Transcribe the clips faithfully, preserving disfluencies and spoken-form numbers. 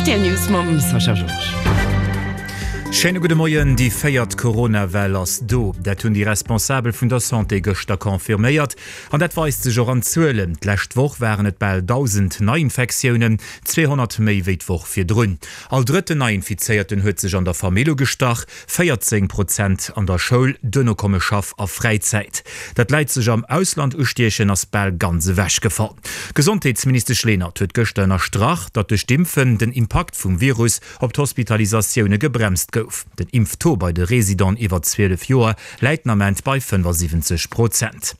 Rtl News mam Sascha Georges. Schéine gudde Moien, Déi véiert Corona-Well ass do. Dat hunn déi Responsabel vun der Santé gëschter confirméiert. An dat weist sech och an Zuelen. D'lescht Woch waren et bal dausend Neiinfektiounen, zweehonnert méi wéi d'Woch virdrun. All drëtten Neiinfizéierten huet sech an der Famill ugestach, véierzéng Prozent an der Schoul, duerno komme Schaff a Fräizäit. Dat d'Leit sech am Ausland ustiechen, ass bal ganz ewechgefall. D'Gesondheetsministesch Lenert huet gëschter ënnerstrach, datt duerch d'Impfen den Impakt vum Virus op d'Hospitalisatioune gebremst gouf. Den Impftaux bei de Residenten iwwer zwielef Joer läit den Ament bei fënnefasiwwenzeg Prozent.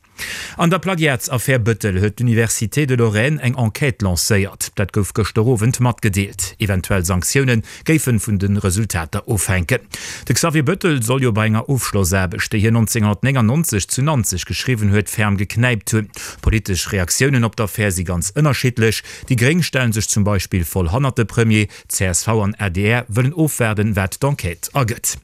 An der Plagiatsaffär Bëttel huet d'Université de Lorraine eng Enquête lancéiert. Dat gouf gëschter Owend matgedeelt. Eventuell Sanktioune géife vun de Resultater ofhänken. De Xavier Bëttel soll jo bei enger Ofschlossaarbecht, déi hien nonzénghonnertnéngannonzeg zu Nanzeg geschriwwen huet, ferm geknäipt hunn. Politesch Reaktiounen op d'Affär si ganz ënnerschiddlech. Déi Gréng stelle sech zum Beispill voll hannert de Premier, csv an adr wëllen ofwaarden, wat d'Enquête ergëtt.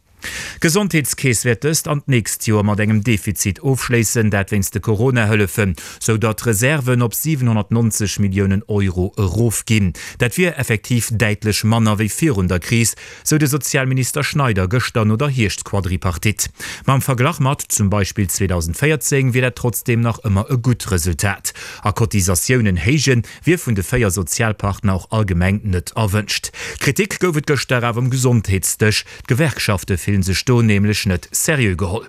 D'Gesondheetskeess wäert dëst an d'nächst Joer mat engem Defizit ofschléissen, dat wéinst de Corona-Hëllefen, sou datt d'Reserven op siwenhonnertnonzeg Milliounen Euro erofginn. Dat wier effektiv däitlech manner wéi virun der Kris, sou de Sozialminister Schneider gëschter no der Hierschtquadripartite. Ma am Verglach mat zum Beispill zweedausendvéierzéng wier dat trotzdeem nach ëmmer e gutt Resultat. A Cotisatiounen héijen, wier vun de véier Sozialpartner och allgemeng net erwënscht. Kritik gouf et gëschter awer um Gesondheetsdësch. D'Gewerkschafte fillen sech do nämlech net seriö geholl.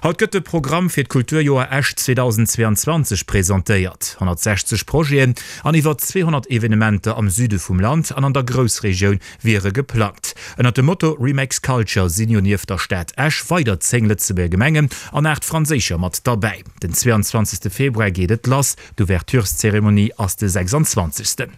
Haut gëtt de Programm fir d'Kulturjoer Esch zweedausendzweeanzwanzeg presentéiert. honnertsechzeg Projeten an iwwer zweehonnert Evenementer am Süde vum Land an an der Groussregioun wiere geplangt. Ënnert dem Motto Remix Culture sinn jo nieft der Stad Esch weider zéng Lëtzebuerger Gemengen an aacht franséischer mat derbäi. Den zweeanzwanzegste Februar geet et lass, d'Ouvertureszeremonie ass de sechsanzwanzegsten.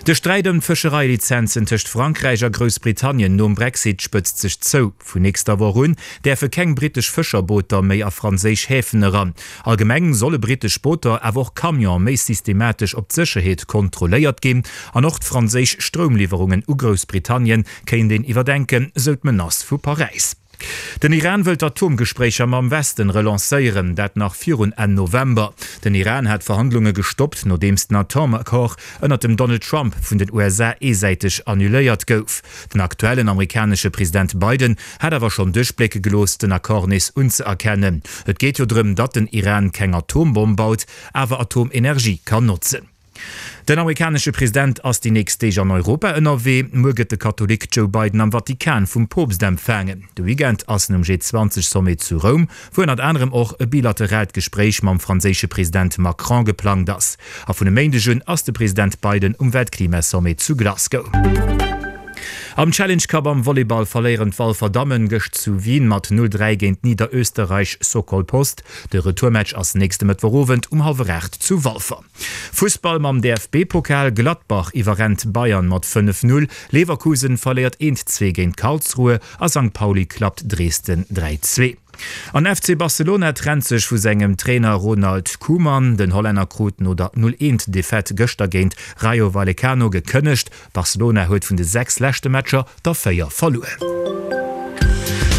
De Sträit ëm d'Fëschereilizenzen tëscht Frankräich a Groussbritannien nom Brexit spëtzt sech zou. Vun nächster Woch un däerfe keng brittesch Fëscherbooter méi a franséisch Häfen eran. Allgemeng solle brittesch Booter, awer och Camione méi systematesch op d'Sécherheet kontrolléiert ginn. An och d'franséisch Stroumliwwerungen u Groussbritannien kéint een iwwerdenken, sou d'Menace vu Paräis. Den Iran wëll d'Atomgespréicher mam Westen relancéieren, dat nach virun Enn November. Den Iran hat d'Verhandlunge gestoppt, nodeems den Atomaccord ënnert dem Donald Trump vun den U S A eesäiteg annuléiert gouf. Den aktuellen amerikanesche President Biden hat awer schonn duerchblécke gelooss, den Accord nees unzëerkennen. Et geet jo drëm, datt den Iran keng Atombomm baut, awer Atomenergie kann notzen. Den amerikanesche President ass déi nächst Deeg an Europa ënnerwee. Muer gëtt de Katholik Joe Biden am Vatikan vum Poopst empfaangen. De Weekend ass en um G zwanzeg Sommet zu Roum, wou ënnert anerem och e bilateraalt Gespréich mam franséische President Macron geplangt ass. A vun e Méindeg un ass de President Biden um Weltklimasommet zu Glasgow. Am Challenge Cup am Volleyball verléieren d'Walfer Dammen gëscht zu Wien mat null dräi géint Niederösterreich Sokol Post. De Retourmatch ass nächste Mëttwochowend um hallwer aacht zu Walfer. Fussball mam D F B-Pokal, Gladbach iwwerrennt Bayern mat fënnef null, Leverkusen verléiert eent zwee géint Karlsruhe a Sankt Pauli klappt Dresden dräi zwee. An F C Barcelona trennt sech vu sengem Trainer Ronald Koeman. Den Hollänner krut no der null eent Defaite gëschter géint Rayo Vallecano gekënnegt. Barcelona huet vun de sechs leschte Matcher der véier verluer.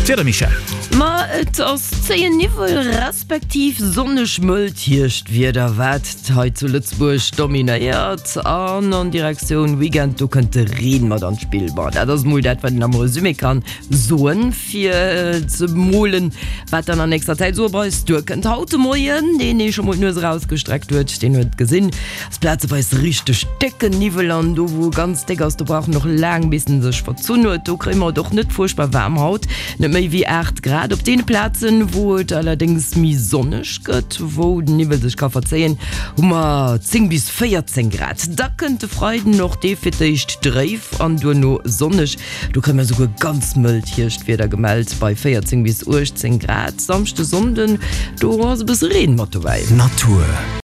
D'Wieder, Michèle? Ma et ass zéien Niwwel respektiv sonneg mëllt Hierschtwieder wat hei zu Lëtzebuerg dominéiert an an Direktioun Weekend do kënnt de Reen mat an d'Spill. Bon, dat ass mol dat wat een am Resumé kann soen fir ze molen wat dann an nächster Zäit sou op eis duerkënnt. Haut de Moien, deen ee scho mol d'Nues erausgestreckt huet, deen huet gesinn, ass plazeweis richteg décken Niwwel an do wou e ganz déck ass, do brauch en och laang bis en sech verzunn huet. Do kréie mer et och net fuerchtbar waarm haut, net méi wéi aacht Grad. Op deene Plazen, wou et allerdéngs méi sonneg gëtt, wou den Niwwel sech ka verzéien, hu mer zéng bis véierzéng Grad. Da kënnt de Freiden, och dee fir d'éischt dréif an duerno sonneg. Do kréie mer esouguer ganz mëllt Hierschtwieder gemellt bei véierzéng bis uechtzéng Grad. Samschde, Sonnden, do ass e bësse Reen mat dobäi. Natur.